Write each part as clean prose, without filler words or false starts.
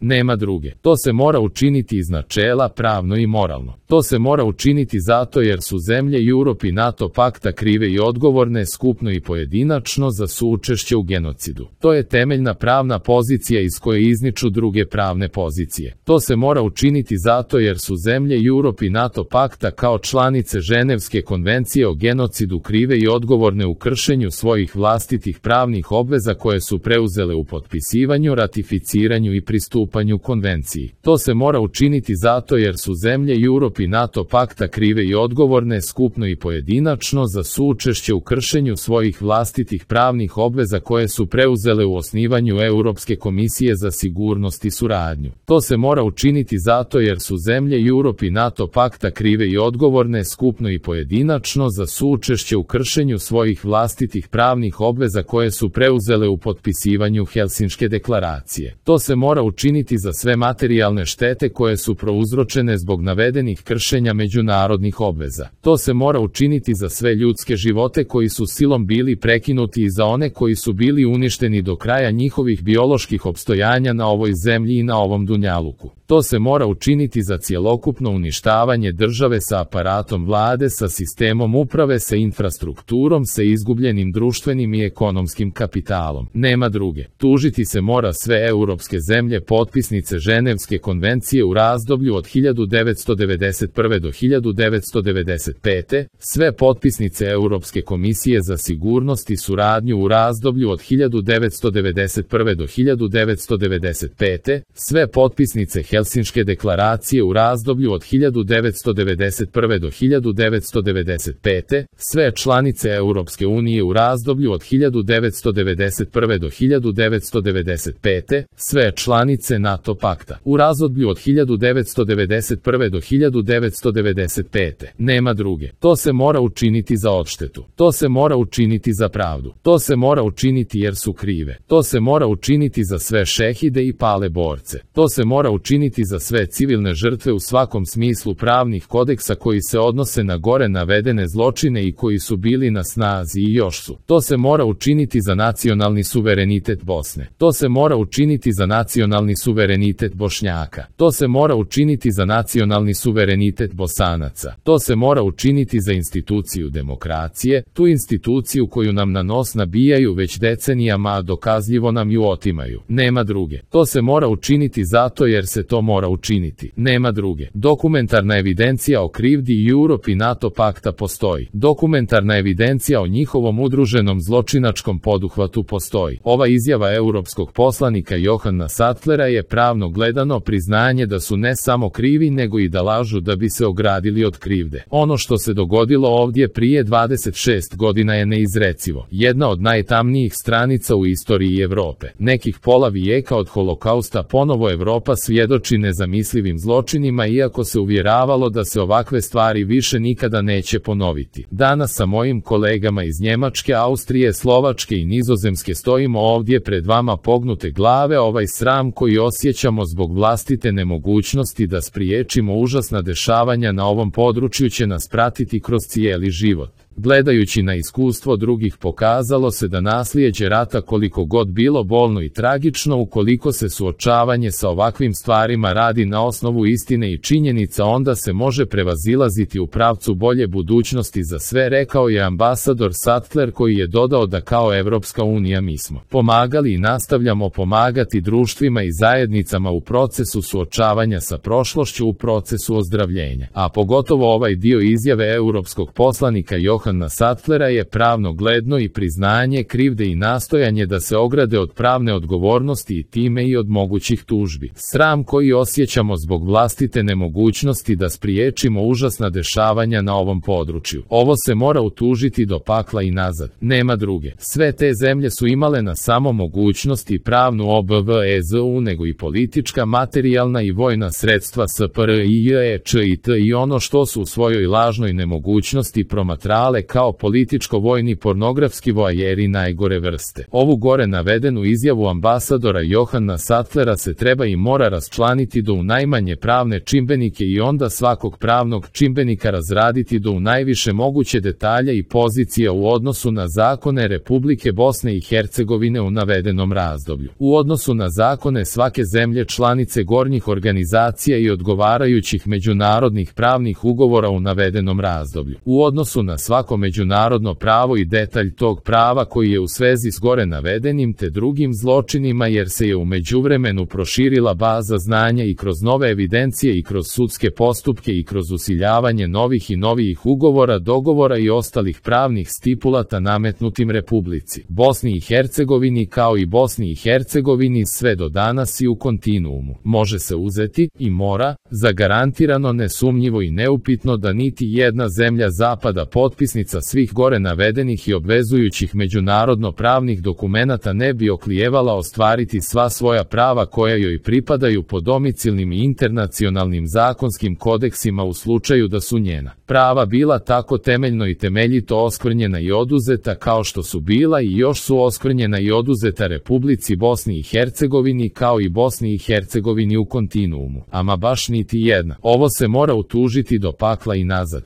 Nema druge. To se mora učiniti iz načela pravno i moralno. To se mora učiniti zato jer su zemlje Europe i NATO pakta krive i odgovorne skupno i pojedinačno za suučešće u genocidu. To je temeljna pravna pozicija iz koje izniču druge pravne pozicije. To se mora učiniti zato jer su zemlje Europe i NATO pakta kao članice Ženevske konvencije o genocidu krive i odgovorne u kršenju svojih vlastitih pravnih obveza koje su preuzele u potpisivanju, ratificiranju i pristupanju konvenciji. To se mora učiniti zato jer su zemlje Europe i NATO pakta krive i odgovorne skupno i pojedinačno za suučešće u kršenju svojih vlastitih pravnih obveza koje su preuzele u osnivanju Europske komisije za sigurnost i suradnju. To se mora učiniti zato jer su zemlje Europe i NATO pakta krive i odgovorne skupno i pojedinačno za suučešće u kršenju svojih vlastitih pravnih obveza koje su preuzele u potpisivanju Helsinške deklaracije. To se mora učiniti za sve materijalne štete koje su prouzročene zbog navedenih kršenja međunarodnih obveza. To se mora učiniti za sve ljudske živote koji su silom bili prekinuti i za one koji su bili uništeni do kraja njihovih bioloških opstojanja na ovoj zemlji i na ovom dunjaluku. To se mora učiniti za cjelokupno uništavanje države sa aparatom vlade, sa sistemom uprave, sa infrastrukturom, sa izgubljenim društvenim i ekonomskim kapitalom. Nema druge. Tužiti se mora sve europske zemlje potpisnice Ženevske konvencije u razdoblju od 1991. do 1995. Sve potpisnice Europske komisije za sigurnost i suradnju u razdoblju od 1991. do 1995. Sve potpisnice Helsinške deklaracije u razdoblju od 1991. do 1995. Sve članice Europske unije u razdoblju od 1991. do 1995. Sve članice NATO pakta u razdoblju od 1991. do 1995. Nema druge. To se mora učiniti za odštetu. To se mora učiniti za pravdu. To se mora učiniti jer su krive. To se mora učiniti za sve šehide i pale borce. To se mora učiniti za sve civilne žrtve u svakom smislu pravnih kodeksa koji se odnose na gore navedene zločine i koji su bili na snazi i još su. To se mora učiniti za nacionalni suverenitet Bosne. To se mora učiniti za nacionalni suverenitet Bošnjaka. To se mora učiniti za nacionalni suverenitet Bosanaca. To se mora učiniti za instituciju demokracije, tu instituciju koju nam na nos nabijaju već decenijama, a dokazljivo nam ju otimaju. Nema druge. To se mora učiniti zato jer se to mora učiniti. Nema druge. Dokumentarna evidencija o krivdi Europe i NATO pakta postoji. Dokumentarna evidencija o njihovom udruženom zločinačkom poduhvatu postoji. Ova izjava europskog poslanika Johana Sattlera je pravno gledano priznanje da su ne samo krivi nego i da lažu da bi se ogradili od krivde. Ono što se dogodilo ovdje prije 26 godina je neizrecivo. Jedna od najtamnijih stranica u istoriji Europe. Nekih pola vijeka od holokausta ponovo Europa svjedoči nezamislivim zločinima iako se uvjeravalo da se ovakve stvari više nikada neće ponoviti. Danas sa mojim kolegama iz Njemačke, Austrije, Slovačke i Nizozemske stojimo ovdje pred vama pognute glave. Ovaj sram koji osjećamo zbog vlastite nemogućnosti da spriječimo užasna dešavanja na ovom području će nas pratiti kroz cijeli život. Gledajući na iskustvo drugih pokazalo se da naslijeđe rata koliko god bilo bolno i tragično, ukoliko se suočavanje sa ovakvim stvarima radi na osnovu istine i činjenica, onda se može prevazilaziti u pravcu bolje budućnosti za sve, rekao je ambasador Sattler, koji je dodao da kao Evropska unija mi smo pomagali i nastavljamo pomagati društvima i zajednicama u procesu suočavanja sa prošlošću, u procesu ozdravljenja. A pogotovo ovaj dio izjave europskog poslanika Johana Sattlera je pravno gledno i priznanje krivde i nastojanje da se ograde od pravne odgovornosti i time i od mogućih tužbi. Sram koji osjećamo zbog vlastite nemogućnosti da spriječimo užasna dešavanja na ovom području. Ovo se mora utužiti do pakla i nazad. Nema druge. Sve te zemlje su imale na samo mogućnost i pravnu obvezu nego i politička, materijalna i vojna sredstva SPRIJEČIT i ono što su u svojoj lažnoj nemogućnosti promatrale serijale kao političko-vojni pornografski voajeri najgore vrste. Ovu gore navedenu izjavu ambasadora Johana Sattlera se treba i mora raščlaniti do u najmanje pravne čimbenike i onda svakog pravnog čimbenika razraditi do u najviše moguće detalje i pozicija u odnosu na zakone Republike Bosne i Hercegovine u navedenom razdoblju. U odnosu na zakone svake zemlje članice gornjih organizacija i odgovarajućih međunarodnih pravnih ugovora u navedenom razdoblju. U odnosu na svako međunarodno pravo i detalj tog prava koji je u svezi s gore navedenim te drugim zločinima jer se je u međuvremenu proširila baza znanja i kroz nove evidencije i kroz sudske postupke i kroz usiljavanje novih i novijih ugovora, dogovora i ostalih pravnih stipulata nametnutim Republici Bosni i Hercegovini kao i Bosni i Hercegovini sve do danas i u kontinuumu. Može se uzeti i mora zagarantirano, nesumnjivo i neupitno da niti jedna zemlja zapada potpisnica svih gore navedenih i obvezujućih međunarodno pravnih dokumenata ne bi oklijevala ostvariti sva svoja prava koja joj pripadaju po domicilnim i internacionalnim zakonskim kodeksima u slučaju da su njena prava bila tako temeljno i temeljito oskvrnjena i oduzeta kao što su bila i još su oskvrnjena i oduzeta Republici Bosni i Hercegovini kao i Bosni i Hercegovini u kontinuumu. Ama baš niti jedna. Ovo se mora utužiti do pakla i nazad.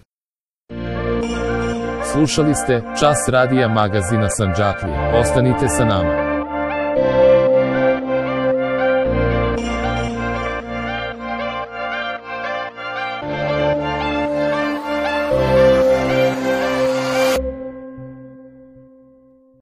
Slušali ste Čas radija magazina Sandžaklija. Ostanite sa nama.